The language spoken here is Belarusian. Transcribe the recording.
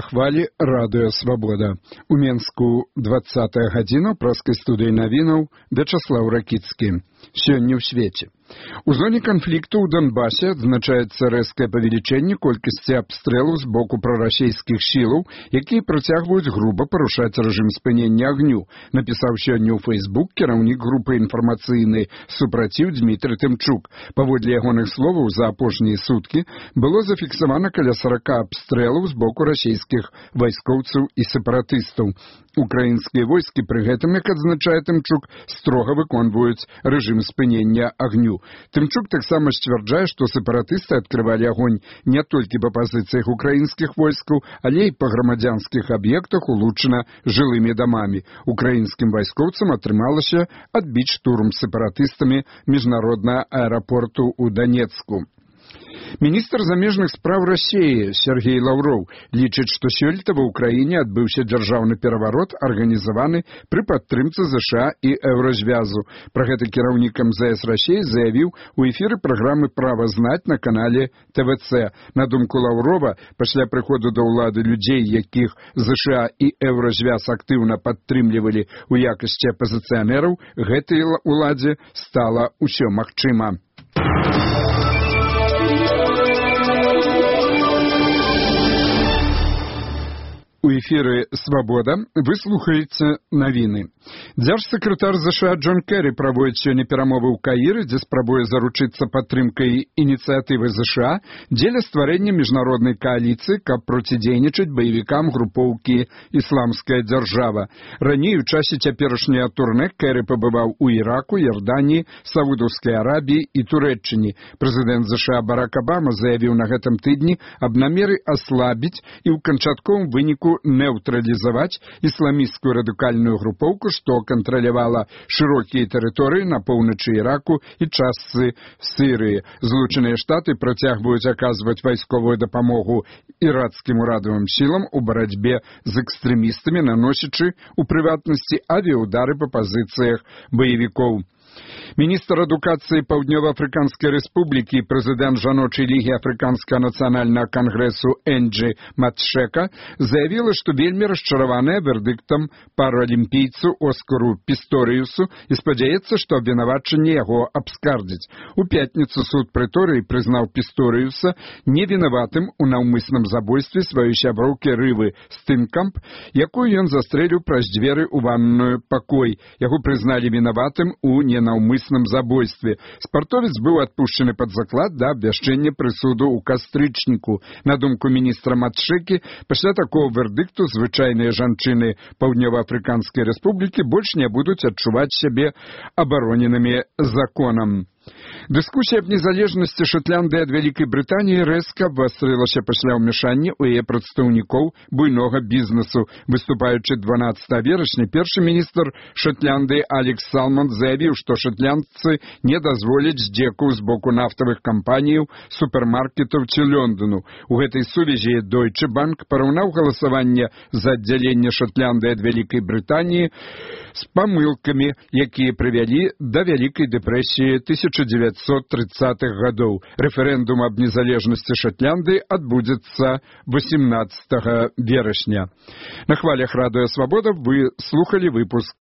хвалі радыё «Свабода». У Менску 20-я гадзіна, праскай студыі навінаў Вячаслаў Ракіцкі. Сёння ў свеце. У зоне канфлікту ў Донбасе адзначаецца рэзкае павелічэнне колькасці абстрэлаў з боку прарасійскіх сілаў, якія працягваюць груба парушаць рэжым спынення агню, напісаў сёння ў Фейсбук кіраўнік групы інфармацыйны супраціў Дмітрий Тымчук. Паводле ягоных словаў, за апошнія суткі было зафіксавана каля 40 абстрэлаў з боку расійскіх вайскоўцаў і сепаратыстаў. Украінскія войскі пры гэтым, як адзначае Тымчук, строга выконваюць рэжым спынення агню. Тымчук таксама сцвярджае, што сепаратысты адкрывалі агонь не толькі па пазіцыях украінскіх войскаў, але і па грамадзянскіх аб'ектах, улучшана жылымі дамамі. Украінскім вайскоўцам атрымалася адбіць штурм сепаратыстамі міжнароднага аэрапорту ў Донецку. Міністр замежных спраў Расіі Сергей Лаўроў лічыць, што сёлета ва ўкраіне адбыўся дзяржаўны пераварот, арганізаваны пры падтрымцы ЗША і Еўразвязу. Пра гэта кіраўнік МЗС Расіі заявіў у эфіры праграмы «Права знаць» на канале ТВЦ. На думку Лаўрова, пасля прыходу да ўлады людзей, якіх ЗША і Еўразвяз актыўна падтрымлівалі ў якасці апазіцыянераў, гэтай уладзе стала ўсё магчыма. У эфіры «Свабода» вы слухаеце навіны. Дзяржсакратар ЗША Джон Керрі праводзіць сёння перамовы ў Каіры, дзе спрабуе заручыцца падтрымкай ініцыятывы ЗША дзеля стварэння міжнароднай кааліцыі, каб процідзейнічаць баевікам групоўкі «Ісламская дзяржава». Раней у часе цяперашняга турне Керрі пабываў у Іраку, Ярданіі, Саудаўскай Арабіі і Турэччыне. Прэзідэнт ЗША Барак Абама заявіў на гэтым тыдні аб намеры аслабіць і ў канчатковым выніку neutrалізаваць ісламісцкую радыкальную групоўку, што кантралявала шырокія тэрыторыі на поўначы Іраку і частцы Сірыі. Злучаныя Штаты працягваюць аказваць вайсковую дапамогу іракскім урадавым сілам у барацьбе з экстрэмістамі, наносячы, у прыватнасці, авіяудары па пазіцыях баевікоў. Міністр адукацыі Паўднёва-Афрыканскай Рэспублікі і прэзідэнт жаночай лігі Афрыканскага нацыянальнага кангрэсу Энджі Матшека заявіла, што вельмі расчараваная вердыктам паралімпійцу Оскару Пісторыюсу і спадзяецца, што абвінавачанне яго абскардзяць. У пятніцу суд Прэторыі прызнаў Пісторыюса невінаватым у наўмысным забойстве сваёй сяброўкі Рывы Стынкамп, якую ён застрэліў праз дзверы ў ванную пакой. Яго прызналі вінаватым у ненаўмысным забойстве. Спартовец быў адпушчаны пад заклад да абвяшчэння прысуду ў кастрычніку. На думку міністра Матшэкі, пасля такого вердыкту звычайныя жанчыны Паўднёва-Афрыканскай Рэспублікі больш не будуць адчуваць сябе абароненымі законам. Дыскусія аб незалежнасці Шотландыі ад Вялікай Брытаніі рэзка абвастрылася пасля ўмяшання ў яе прадстаўнікоў буйнога бізнесу. Выступаючы 12 верасня, першы міністр Шотландыі Алекс Салмонд заявіў, што шотландцы не дазволяць здзекаў з боку нафтавых кампаніяў, супермаркетаў ці Лондону. У гэтай сувязі Deutsche Bank параўнаў галасаванне за аддзяленне Шотландыі ад Вялікай Брытаніі з памылкамі, якія прывялі да Вялікай дэпрэсіі 1930-х гадоў. Рэферэндум аб незалежнасці Шотландыі адбудзецца 18 верасня. На хвалях радыё «Свабода» вы слухалі выпуск